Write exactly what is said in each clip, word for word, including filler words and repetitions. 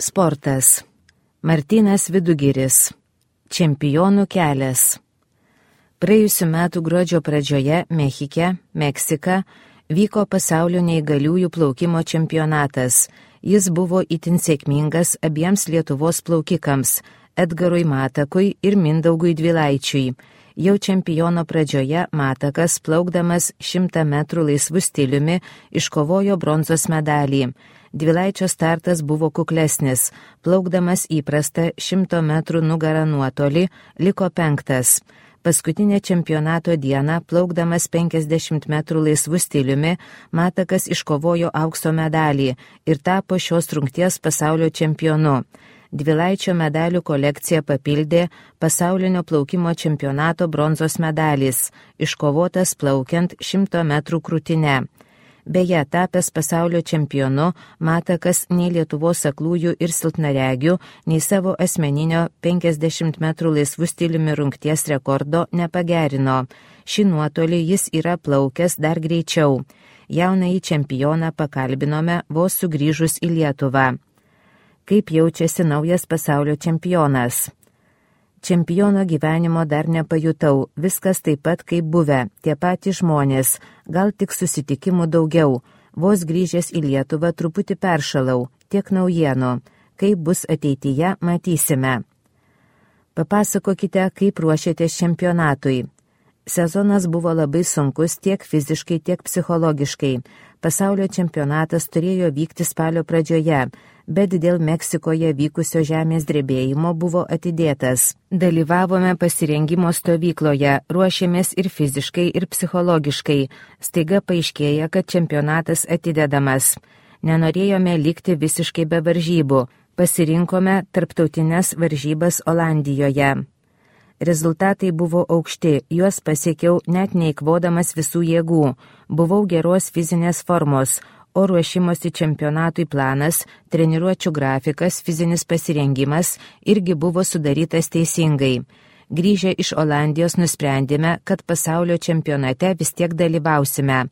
Sportas. Martynas Vidugiris. Čempionų kelias. Praėjusiu metu gruodžio pradžioje Mechike, Meksika, vyko pasaulio neįgaliųjų plaukimo čempionatas. Jis buvo itin sėkmingas abiems Lietuvos plaukikams – Edgarui Matakui ir Mindaugui Dvilaičiui. Jau čempiono pradžioje Matakas, plaukdamas šimtą metrų laisvų stiliumi, iškovojo bronzos medalį. Dvilaičio startas buvo kuklesnis, plaukdamas įprastą šimto metrų nugarą nuotolį, liko penktas. Paskutinę čempionato dieną, plaukdamas penkiasdešimt metrų laisvų stiliumi, Matakas iškovojo aukso medalį ir tapo šios rungties pasaulio čempionu. Dvilaičio medalių kolekciją papildė pasaulinio plaukimo čempionato bronzos medalis, iškovotas plaukiant šimto metrų krūtine. Beje, tapęs pasaulio čempionu, Matakas nei Lietuvos aklųjų ir silpnaregių, nei savo asmeninio penkiasdešimt metrų laisvų stiliumi rungties rekordo nepagerino. Šį nuotolį jis yra plaukęs dar greičiau. Jaunąjį čempioną pakalbinome vos sugrįžus į Lietuvą. Kaip jaučiasi naujas pasaulio čempionas? Čempiono gyvenimo dar nepajutau, viskas taip pat kaip buvę, tie patys žmonės, gal tik susitikimų daugiau. Vos grįžęs į Lietuvą truputį peršalau, tiek naujienų. Kaip bus ateityje, matysime. Papasakokite, kaip ruošiatės čempionatui. Sezonas buvo labai sunkus tiek fiziškai, tiek psichologiškai. Pasaulio čempionatas turėjo vykti spalio pradžioje, bet dėl Meksikoje vykusio žemės drebėjimo buvo atidėtas. Dalyvavome pasirengimo stovykloje, ruošėmės ir fiziškai, ir psichologiškai. Staiga paaiškėja, kad čempionatas atidedamas. Nenorėjome likti visiškai be varžybų. Pasirinkome tarptautines varžybas Olandijoje. Rezultatai buvo aukšti, juos pasiekiau net neįkvodamas visų jėgų. Buvau geros fizinės formos, o ruošimosi čempionatui planas, treniruočių grafikas, fizinis pasirengimas irgi buvo sudarytas teisingai. Grįžę iš Olandijos nusprendėme, kad pasaulio čempionate vis tiek dalyvausime.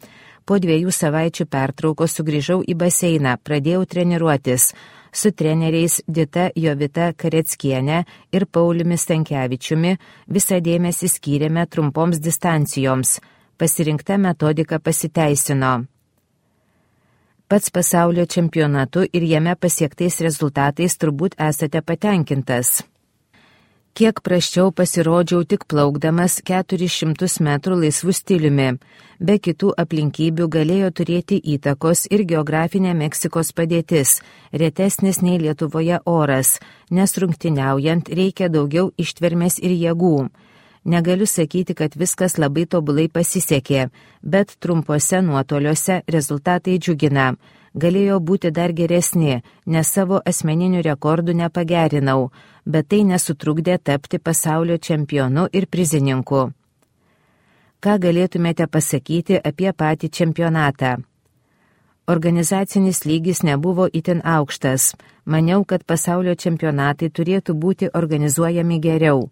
Po dviejų savaičių pertraukos sugrįžau į baseiną, pradėjau treniruotis. Su treneriais Dita Jovita Kareckienė ir Pauliumi Stankevičiumi visą dėmesį skyrėme trumpoms distancijoms. Pasirinkta metodika pasiteisino. Pats pasaulio čempionatu ir jame pasiektais rezultatais turbūt esate patenkintas. Kiek prasčiau pasirodžiau tik plaukdamas keturis šimtus metrų laisvų stiliumi. Be kitų aplinkybių galėjo turėti įtakos ir geografinė Meksikos padėtis, retesnis nei Lietuvoje oras, nes rungtyniaujant reikia daugiau ištvermės ir jėgų. Negaliu sakyti, kad viskas labai tobulai pasisekė, bet trumpose nuotoliuose rezultatai džiugina. Galėjo būti dar geresni, nes savo asmeninių rekordų nepagerinau, bet tai nesutrukdė tapti pasaulio čempionu ir prizininku. Ką galėtumėte pasakyti apie patį čempionatą? Organizacinis lygis nebuvo itin aukštas. Maniau, kad pasaulio čempionatai turėtų būti organizuojami geriau.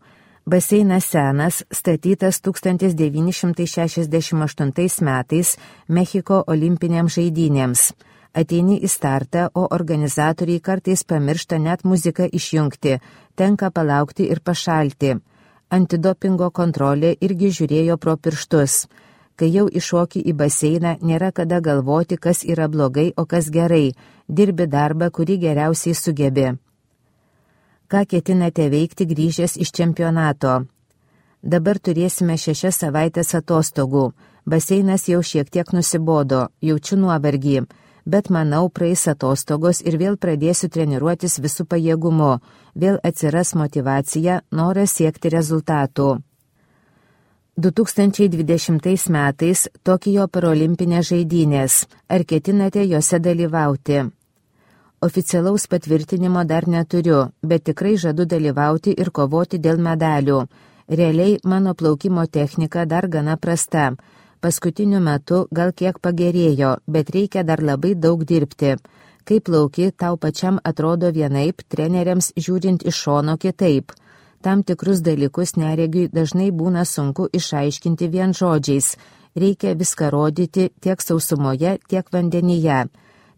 Baseinas senas, statytas tūkstantis devyni šimtai šešiasdešimt aštuntais metais Mechiko olimpinėms žaidynėms. Ateini į startą, o organizatoriai kartais pamiršta net muziką išjungti, tenka palaukti ir pašalti. Antidopingo kontrolė irgi žiūrėjo pro pirštus. Kai jau iššoki į baseiną, nėra kada galvoti, kas yra blogai, o kas gerai. Dirbi darbą, kurį geriausiai sugebi. Ką ketinate veikti grįžęs iš čempionato? Dabar turėsime šešias savaitės atostogų. Baseinas jau šiek tiek nusibodo, jaučiu nuovargį. Bet manau, praeis atostogos ir vėl pradėsiu treniruotis visų pajėgumu, vėl atsiras motyvacija, noras siekti rezultatų. du tūkstančiai dvidešimtais metais Tokijo parolimpinės žaidynės. Ar ketinate jose dalyvauti? Oficialaus patvirtinimo dar neturiu, bet tikrai žadu dalyvauti ir kovoti dėl medalių. Realiai mano plaukimo technika dar gana prasta. Paskutiniu metu gal kiek pagerėjo, bet reikia dar labai daug dirbti. Kai plauki, tau pačiam atrodo vienaip, treneriams žiūrint iš šono kitaip. Tam tikrus dalykus neregiui dažnai būna sunku išaiškinti vien žodžiais. Reikia viską rodyti tiek sausumoje, tiek vandenyje.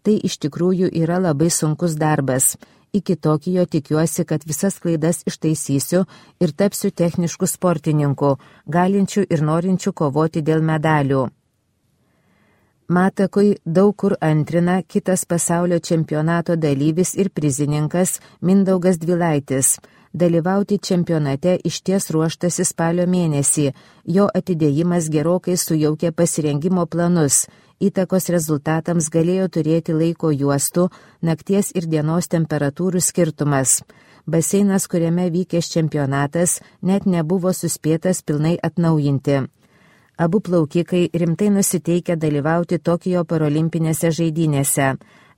Tai iš tikrųjų yra labai sunkus darbas. Iki Tokijo tikiuosi, kad visas klaidas ištaisysiu ir tapsiu technišku sportininku, galinčiu ir norinčiu kovoti dėl medalių. Matakui daug kur antrina kitas pasaulio čempionato dalyvis ir prizininkas Mindaugas Dvilaitis. Dalyvauti čempionate išties ruoštasi spalio mėnesį, jo atidėjimas gerokai sujaukė pasirengimo planus, įtakos rezultatams galėjo turėti laiko juostų, nakties ir dienos temperatūrų skirtumas. Baseinas, kuriame vykęs čempionatas, net nebuvo suspėtas pilnai atnaujinti. Abu plaukikai rimtai nusiteikę dalyvauti Tokijo parolimpinėse žaidynėse.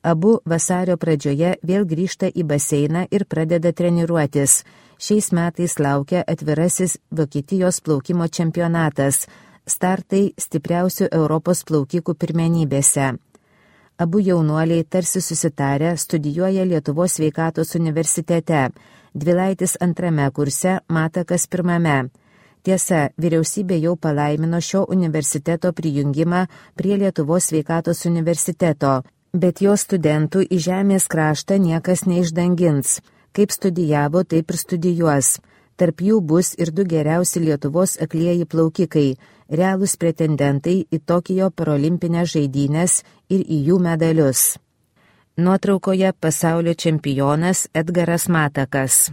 Abu vasario pradžioje vėl grįžta į baseiną ir pradeda treniruotis. Šiais metais laukia atvirasis Vokietijos plaukimo čempionatas, startai stipriausių Europos plaukikų pirmenybėse. Abu jaunuoliai tarsi susitarę studijuoja Lietuvos sveikatos universitete, Dvilaitis antrame kurse, Matakas pirmame. Tiesa, vyriausybė jau palaimino šio universiteto prijungimą prie Lietuvos sveikatos universiteto, bet jo studentų į žemės kraštą niekas neišdangins. Kaip studijavo, taip ir studijuos. Tarp jų bus ir du geriausi Lietuvos aklieji plaukikai, realūs pretendentai į Tokijo parolimpinės žaidynės ir į jų medalius. Nuotraukoje pasaulio čempionas Edgaras Matakas.